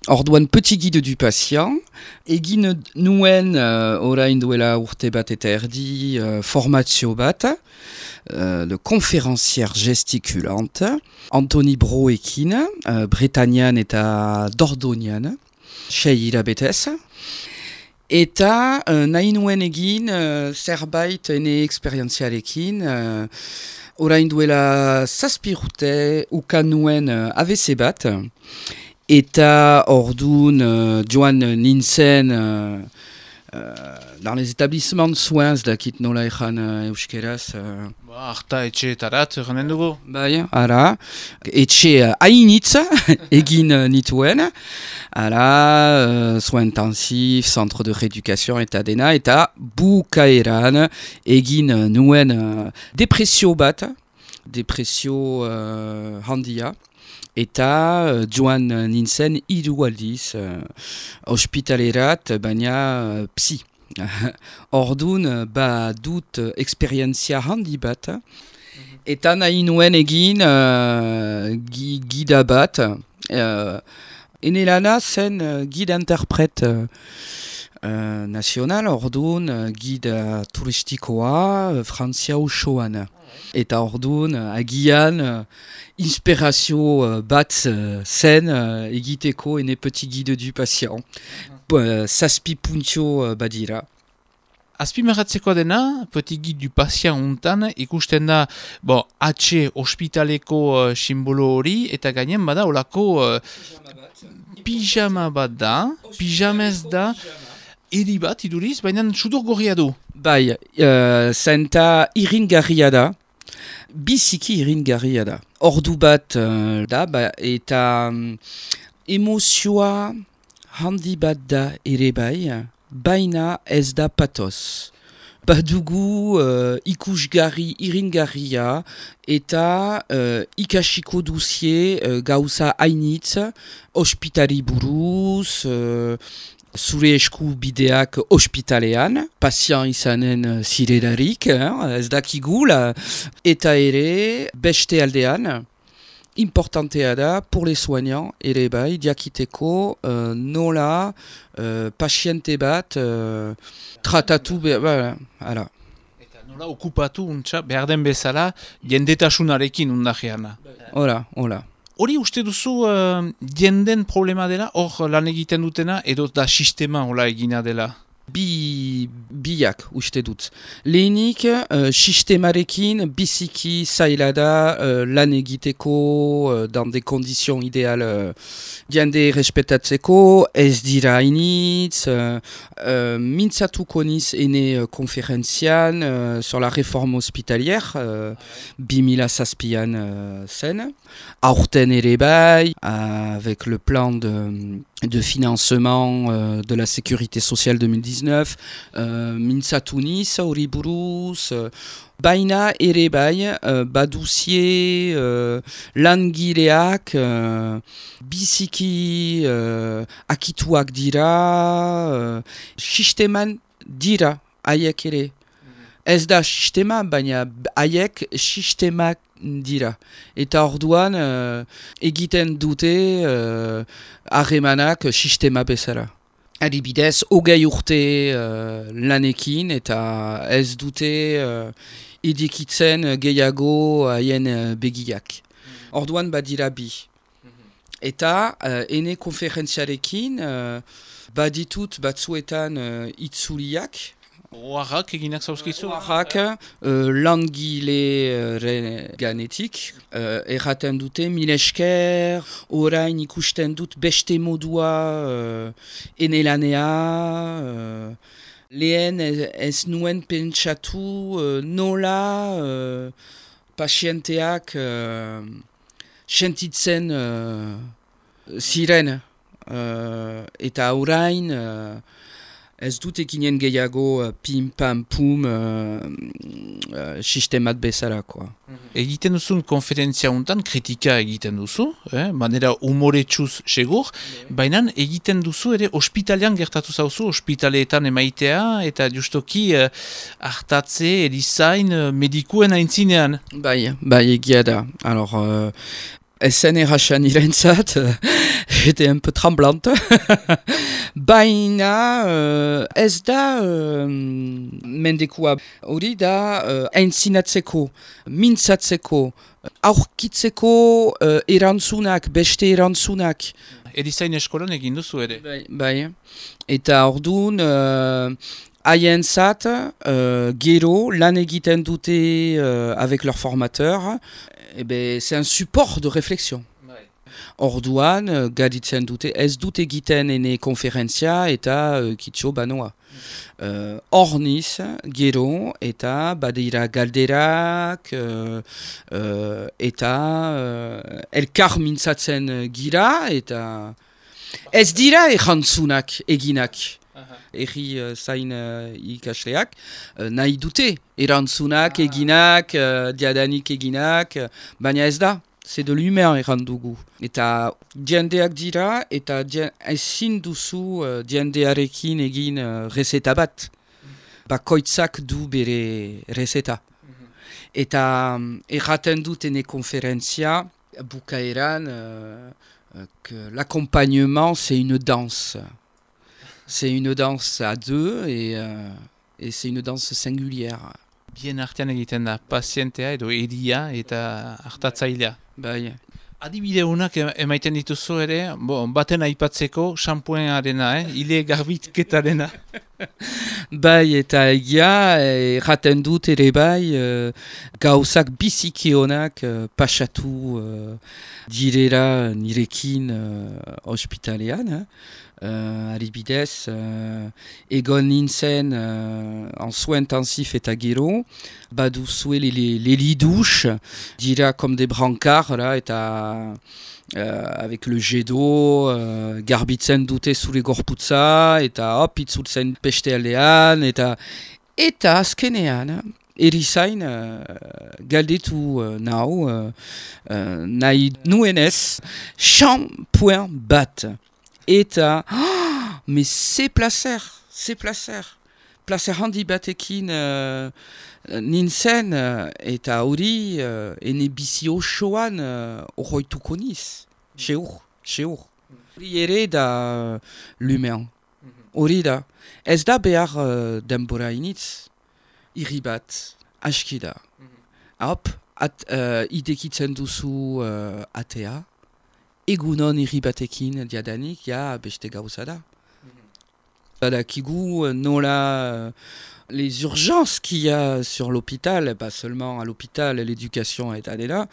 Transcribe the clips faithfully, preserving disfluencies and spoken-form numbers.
Orduan petit guide du patient, egin nuen uh, orain duela urte bat eta erdi uh, formatio bat, uh, de conférencière gesticulante, Anthony Broekin, uh, Bretañan eta Dordoñan, sei hilabetez. Eta uh, nahi nuen egin uh, zerbait ene esperientziarekin, uh, orain duela zazpi urte ukan nuen uh, A V C bat, eta ordun uh, joan nintzen uh, uh, dans les établissements de soins dakit nola ejan uh, euskeraz. Uh, Ba, harta etxeetarat, eranen dugu. Bai, ara, etxe uh, hainitz egin uh, nituen, ara, uh, soins intensifs, centre de rééducation eta dena, eta bukaeran egin uh, nuen uh, depresio bat, depresio uh, handia, eta uh, joan nintzen hiru aldiz uh, ospitalerat, baina uh, psi. Ordun ba dut esperientzia handi bat, eta nahi nuen egin uh, gida bat, uh, ene lana zen uh, guide interpret uh, uh, national, ordun uh, guide turistikoa uh, Frantzia osoan. Eta ordun uh, agian uh, inspirazio uh, bat uh, zen uh, egiteko ene petit guide du patient. Uh, zazpi puntio uh, badira. Azpimarratzeko dena, petit guide du patient untan, ikusten da, bo, H ospitaleko uh, simbolo hori, eta gainen bada, olako uh, pijama bat da, pijamez da, eri bat iduriz, baina sudor gorria du. Bai, uh, zenta iringarria da, biziki iringarria da. Ordu bat uh, da, ba, eta um, emozioa handi bat da ere bai, baina ez da patoz. Badugu uh, ikusgarri iringarria eta uh, ikasiko duzie uh, gauza hainitz, ospitali buruz, uh, zure esku bideak ospitalean, pasien izanen zirelarik, eh, ez dakigula, eta ere beste aldean, importantea da, pour les soignants, ere bai, diakiteko uh, nola uh, pasiente bat uh, tratatu, be, ba, ala. Eta nola okupatu untxa, behar den bezala, jendetasunarekin undajean. Hola, hola. Hori uste duzu uh, jenden problema dela, hor lan egiten dutena, edo da sistema hola egina dela? Bi, biak uste dut. Lehenik, uh, sistemarekin biziki zaila da uh, lan egiteko uh, dans des conditions idéales uh, jende respetatzeko, ez dira hainitz, uh, uh, mintzatuko niz ene uh, konferentzian uh, sur la réforme hospitalière, uh, bi mila zazpian uh, zen, aurten ere bai, avec le plan de... de financement euh, de la sécurité sociale deux mille dix-neuf, uh, mintzatu niz hori buruz, uh, baina ere bai, uh, baduzie uh, langileak uh, biziki uh, akituak dira, uh, sisteman dira haiek ere. Ez da sistema, baina haiek sistemak dira. Eta orduan uh, egiten dute harremanak uh, sistema bezala. Adibidez, hogei urte uh, lanekin eta ez dute uh, edikitzen gehiago haien uh, begiak. Orduan badira bi. Eta uh, ene konferentziarekin uh, baditut batzuetan uh, itzuliak, Oarrak eginak zauzkizu? Oarrak, uh, langile ganetik, uh, erraten dute, mil esker, orain ikusten dut beste modua uh, enelanea, uh, lehen ez, ez nuen pentsatu uh, nola uh, pasienteak uh, sentitzen uh, ziren, uh, eta orain... Uh, Ez dut ekinen gehiago uh, pim-pam-pum uh, uh, sistemat bezalakoa. Egiten duzun konferentzia untan, kritika egiten duzu, eh? Manera humoretsuz segur, baina egiten duzu ere ospitalean gertatu zauzu, ospitaleetan emaitea, eta justoki uh, hartatze, erizain, uh, medikuen aintzinean. Bai, bai egia da. Alors, uh, ezen erraxan irentzat, j'étais un peu tremblante. Baina uh, ez da uh, mendekua hori da uh, aintzinatzeko, mintzatzeko, aurkitzeko uh, erantzunak, beste erantzunak. Erizain eskolan egin duzu ere. Bai, bai. Eta orduan, uh, haientzat, uh, gero, lan egiten dute uh, avec leur formateur, eh ben, c'est un support de réflexion. Orduan, uh, gaditzen dute, ez dute egiten ene konferentzia eta uh, kitxo banoa. Uh, Orniz, gero, eta badira galderak, uh, uh, eta uh, elkar mintzatzen gira, eta ez dira erantzunak eginak. Eri uh, zain uh, ikasleak, uh, nahi dute erantzunak eginak, uh, diadanik eginak, uh, baina ez da. C'est de l'humain errandugu. Eta diendeak dira, eta ezin duzu uh, diendearekin egin uh, rezeta bat. Bakoitzak du bere rezeta. Eta um, erraten dutene konferentzia, bukaeran, uh, uh, que l'accompagnement c'est une danse. C'est une danse à deux et, uh, et c'est une danse singulière. Bien artean egiten da, pazientea edo edia eta hartatzailea. Bai. Adibide honak emaiten dituzu ere, bo, baten aipatzeko, xampuenarena, eh? Ile garbitketarena. Bai, eta egia, erraten dut ere bai, uh, gauzak biziki honak uh, pasatu uh, direra nirekin uh, ospitalean. Eh? Uh, Adibidez, uh, egon nintzen uh, en soins intensifs eta gero, baduzue les, les, les lits douches, dira comme des brancards, là, eta uh, avec le jet d'eau, uh, garbitzen dute zure gorputza, eta hop, itzultzen peste aldean, eta, eta azkenean, erizain uh, galdetu uh, nau, uh, uh, nahi nuenez, shampoing bat. Eta, oh, mais c'est placer, c'est placer. Placer handi batekin uh, nintzen, uh, eta hori uh, ene bizi osoan uh, horroituko niz. Seur, seur. Hori ere da uh, l'humain. Hori da. Ez da behar uh, denbora initz, irri bat, aski da. Hop, at, uh, idekitzen duzu uh, atea. Egunon irri batekin diadanik, ja, beste gauza da. Badakigu nola les urgences qu'il y a sur l'hôpital, pas seulement à l'hôpital, l'éducation est allée là,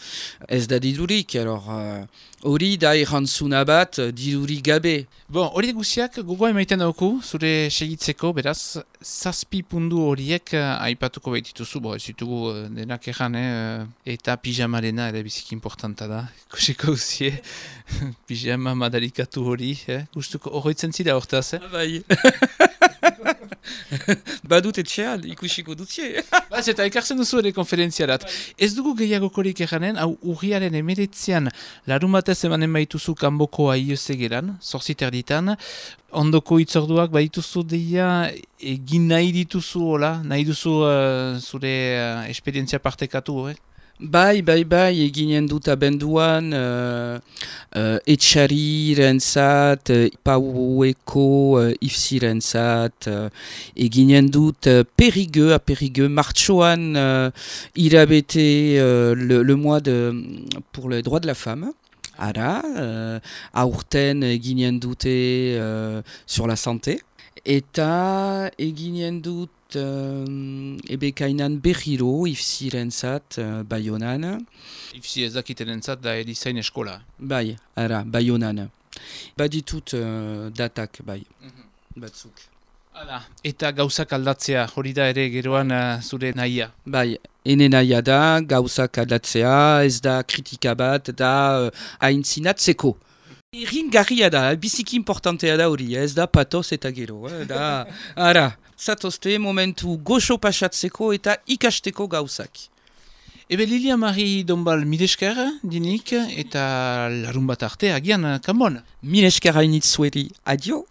ez da didurik, alors hori uh, da errantzuna bat didurik gabe. Bon, hori guziak gogoa emaiten dauku, zure segitzeko, beraz, zazpi pundu horiek uh, aipatuko behitituzu, bo, ez ditugu uh, denak erran, eh, eta pijamarena ere biziki importanta da, kusiko guzie, pijama madarikatu hori, eh? Gustuko horretzen zira hortaz, eh? Bai. Badut etxean, ikusiko dutzie. Baz, eta ekartzen duzu ere konferentziarat. Ez dugu gehiagokorik eranen, hau urriaren emeretzean larun batez emanen baituzu kanboko aiozegeran, zorziter ditan, ondoko itzorduak baituzu deia egin nahi dituzu, hola, nahi duzu uh, zure uh, esperientzia partekatu, eh? Bai, bai, bai, eginen dut abenduan uh, uh, etxarirentzat, uh, paueko uh, ifzirentzat, uh, eginen dut uh, perigueux, a perigueux, martxoan uh, irabete uh, le, le mois de, pour les droits de la femme. Ara, uh, aurten eginen dute uh, sur la santé. Eta eginen dut Uh, ebekainan berriro ifzirentzat uh, Baionan. Ifzi ezakitenentzat da erizain eskola. Bai, ara, Baionan. Baditut uh, datak, bai, mm-hmm. batzuk. Hala, eta gauzak aldatzea, hori da ere geroan uh, zure nahia. Bai, ene nahia da, gauzak aldatzea, ez da kritika bat, da uh, aintzinatzeko. Ringarria da, biziki importantea da hori, ez da patos eta gero, eh, da, ara. Zatozte momentu goxo pasatzeko eta ikasteko gauzak. Ebe Lilia Mari Donbal milesker dinik eta larun bat arte agian kanbon. Milesker hainitzueri, adio.